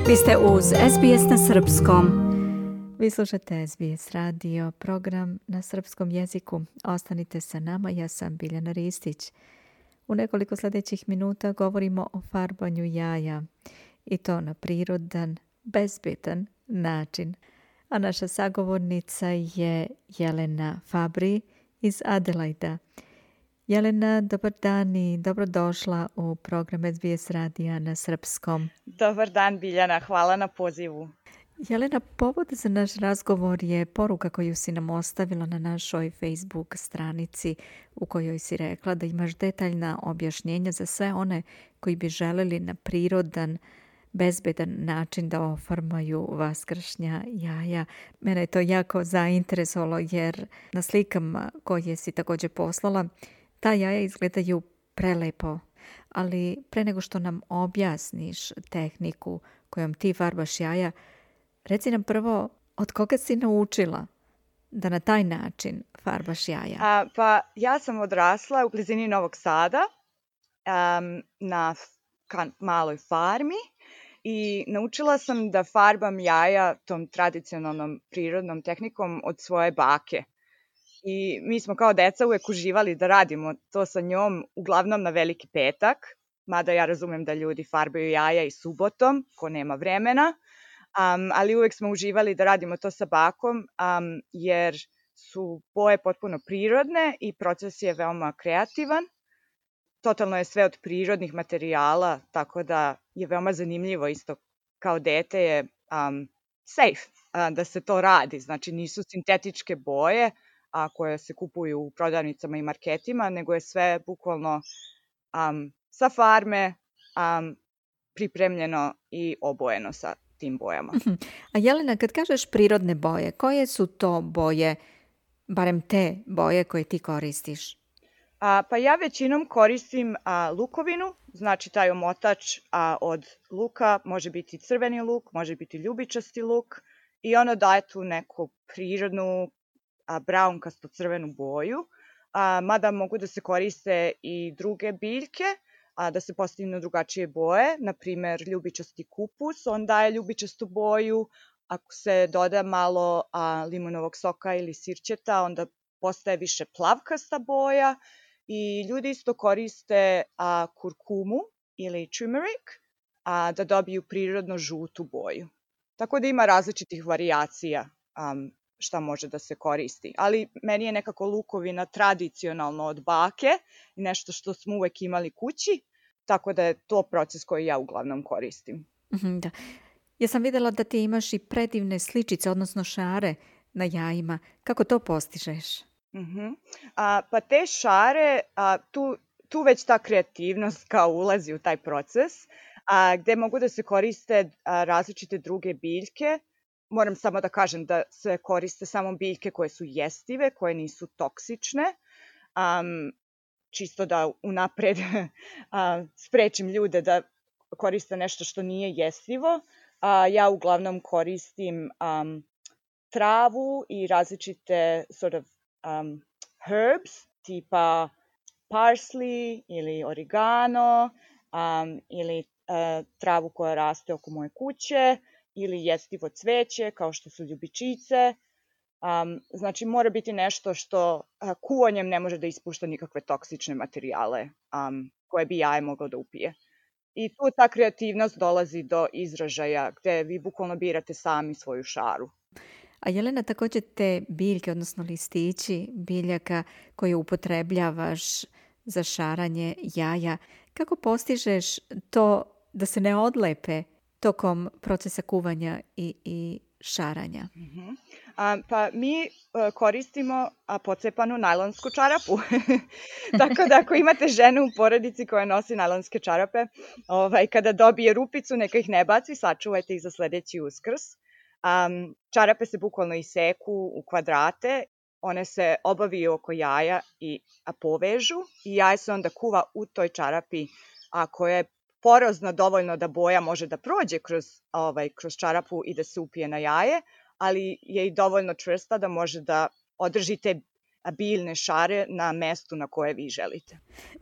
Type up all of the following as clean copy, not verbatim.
Vi ste uz SBS na srpskom. Vi slušate SBS radio, program na srpskom jeziku. Ostanite sa nama, ja sam Biljana Ristić. U nekoliko sljedećih minuta govorimo o farbanju jaja i to na prirodan, bezbedan način. A naša sagovornica je Jelena Fabri iz Adelaida. Jelena, dobar dan i dobrodošla u program SBS radija na srpskom. Dobar dan, Biljana. Hvala na pozivu. Jelena, povod za naš razgovor je poruka koju si nam ostavila na našoj Facebook stranici u kojoj si rekla da imaš detaljna objašnjenja za sve one koji bi želeli na prirodan, bezbedan način da oformaju vaskršnja jaja. Mene je to jako zainteresovalo jer na slikama koje si također poslala ta jaja izgledaju prelepo, ali pre nego što nam objasniš tehniku kojom ti farbaš jaja, reci nam prvo od koga si naučila da na taj način farbaš jaja? Pa ja sam odrasla u blizini Novog Sada na maloj farmi i naučila sam da farbam jaja tom tradicionalnom prirodnom tehnikom od svoje bake. I mi smo kao deca uvek uživali da radimo to sa njom, uglavnom na Veliki petak, mada ja razumem da ljudi farbaju jaja i subotom, ko nema vremena, ali uvek smo uživali da radimo to sa bakom, jer su boje potpuno prirodne i proces je veoma kreativan. Totalno je sve od prirodnih materijala, tako da je veoma zanimljivo isto kao dete je safe da se to radi. Znači nisu sintetičke boje, koje se kupuju u prodavnicama i marketima, nego je sve bukvalno sa farme pripremljeno i obojeno sa tim bojama. A Jelena, kad kažeš prirodne boje, koje su to boje, barem te boje koje ti koristiš? Pa ja većinom koristim lukovinu, znači taj omotač od luka, može biti crveni luk, može biti ljubičasti luk i ono daje tu neku prirodnu braunkasto crvenu boju, mada mogu da se koriste i druge biljke, da se postignu drugačije boje, na primer ljubičasti kupus, on daje ljubičastu boju, ako se doda malo limunovog soka ili sirćeta, onda postaje više plavkasta boja i ljudi isto koriste kurkumu ili turmeric da dobiju prirodno žutu boju. Tako da ima različitih varijacija šta može da se koristi. Ali meni je nekako lukovina tradicionalno od bake i nešto što smo uvek imali kući, tako da je to proces koji ja uglavnom koristim. Da. Ja sam videla da ti imaš i predivne sličice, odnosno šare na jajima. Kako to postižeš? Pa te šare, tu već ta kreativnost kao ulazi u taj proces, gde mogu da se koriste različite druge biljke. Moram samo da kažem da se koriste samo biljke koje su jestive, koje nisu toksične, čisto da unapred sprečim ljude da koriste nešto što nije jestivo. Ja uglavnom koristim travu i različite herbs, tipa parsley ili oregano, ili travu koja raste oko moje kuće, ili jestivo cveće, kao što su ljubičice. Znači, mora biti nešto što kuvanjem ne može da ispušta nikakve toksične materijale koje bi jaje moglo da upije. I tu ta kreativnost dolazi do izražaja, gde vi bukvalno birate sami svoju šaru. A Jelena, također te biljke, odnosno listići biljaka koje upotrebljavaš za šaranje jaja, kako postižeš to da se ne odlepe tokom procesa kuvanja i šaranja? Pa mi koristimo pocepanu najlonsku čarapu. Tako da ako imate ženu u porodici koja nosi najlonske čarape, kada dobije rupicu, neka ih ne baci, sačuvajte ih za sledeći Uskrs. Čarape se bukvalno iseku u kvadrate, one se obaviju oko jaja i povežu i jaje se onda kuva u toj čarapi koja je porozna dovoljno da boja može da prođe kroz čarapu i da se upije na jaje, ali je i dovoljno čvrsta da može da održi te biljne šare na mestu na koje vi želite.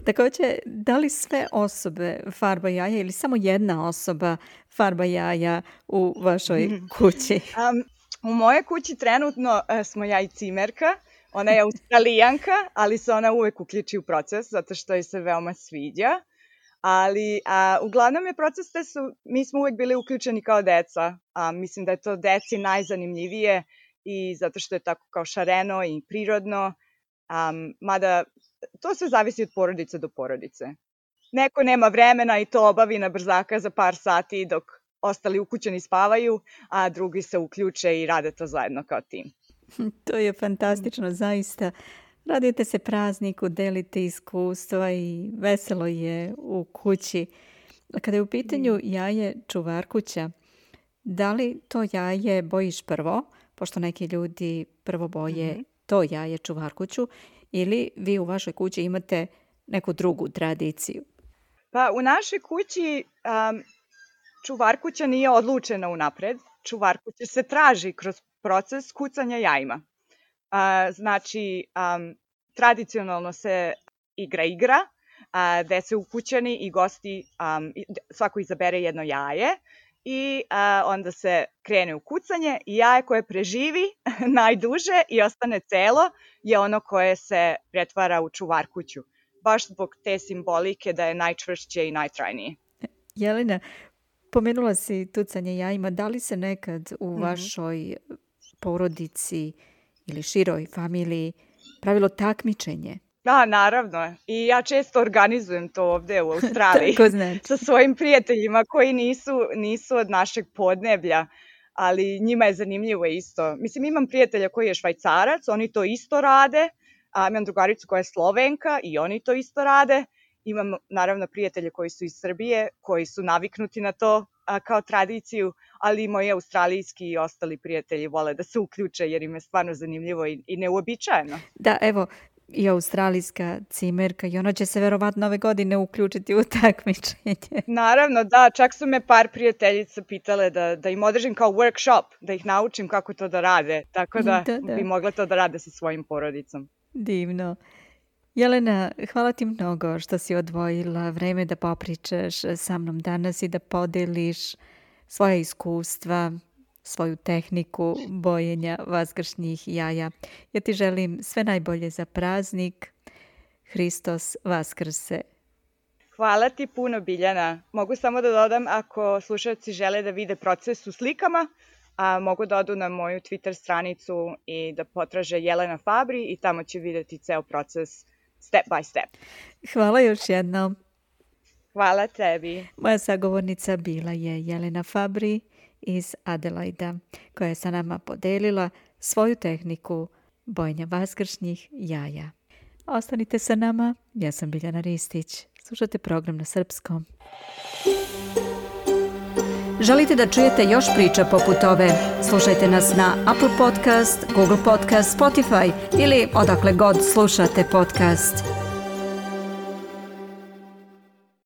Također, da li sve osobe farba jaja ili samo jedna osoba farba jaja u vašoj kući? U mojoj kući trenutno smo ja i cimerka. Ona je Australijanka, ali se ona uvek uključi u proces zato što joj se veoma sviđa. Ali uglavnom je proces mi smo uvek bili uključeni kao deca. Mislim da je to deci najzanimljivije i zato što je tako kao šareno i prirodno. Mada to sve zavisi od porodice do porodice. Neko nema vremena i to obavi na brzaka za par sati dok ostali ukućani spavaju, a drugi se uključe i rade to zajedno kao tim. To je fantastično, zaista. Radite se prazniku, delite iskustva i veselo je u kući. Kada je u pitanju jaje čuvarkuća, da li to jaje bojiš prvo, pošto neki ljudi prvo boje to jaje čuvarkuću, ili vi u vašoj kući imate neku drugu tradiciju? Pa u našoj kući čuvarkuća nije odlučena unapred. Čuvarkuća se traži kroz proces kucanja jajima. Znači, tradicionalno se igra, gde se ukućani i gosti, svako izabere jedno jaje i onda se krene u kucanje i jaje koje preživi najduže i ostane celo je ono koje se pretvara u čuvarkuću. Baš zbog te simbolike da je najčvršće i najtrajnije. Jelena, pomenula si tucanje jajima. Da li se nekad u vašoj porodici ili široj familiji pravilo takmičenje? Da, naravno. I ja često organizujem to ovde u Australiji sa svojim prijateljima koji nisu od našeg podneblja, ali njima je zanimljivo isto. Mislim, imam prijatelja koji je Švajcarac, oni to isto rade, a imam drugaricu koja je Slovenka i oni to isto rade. Imam naravno prijatelje koji su iz Srbije, koji su naviknuti na to kao tradiciju, ali i moji australijski i ostali prijatelji vole da se uključe jer im je stvarno zanimljivo i neuobičajeno. Da, evo, i australijska cimerka i ona će se verovatno ove godine uključiti u takmičenje. Naravno, da, čak su me par prijateljica pitale da im održim kao workshop, da ih naučim kako to da rade, tako da bi mogla to da rade sa svojim porodicom. Divno. Jelena, hvala ti mnogo što si odvojila vreme da popričaš sa mnom danas i da podeliš svoje iskustva, svoju tehniku bojenja vaskršnjih jaja. Ja ti želim sve najbolje za praznik. Hristos Vaskrse. Hvala ti puno, Biljana. Mogu samo da dodam, ako slušalci žele da vide proces u slikama, mogu da odu na moju Twitter stranicu i da potraže Jelena Fabri i tamo će videti ceo proces step by step. Hvala još jednom. Hvala tebi. Moja sagovornica bila je Jelena Fabri iz Adelaida, koja je sa nama podelila svoju tehniku bojenja vaskršnjih jaja. Ostanite sa nama, ja sam Biljana Ristić. Slušajte program na srpskom. Želite da čujete još priča poput ove? Slušajte nas na Apple Podcast, Google Podcast, Spotify ili odakle god slušate podcast.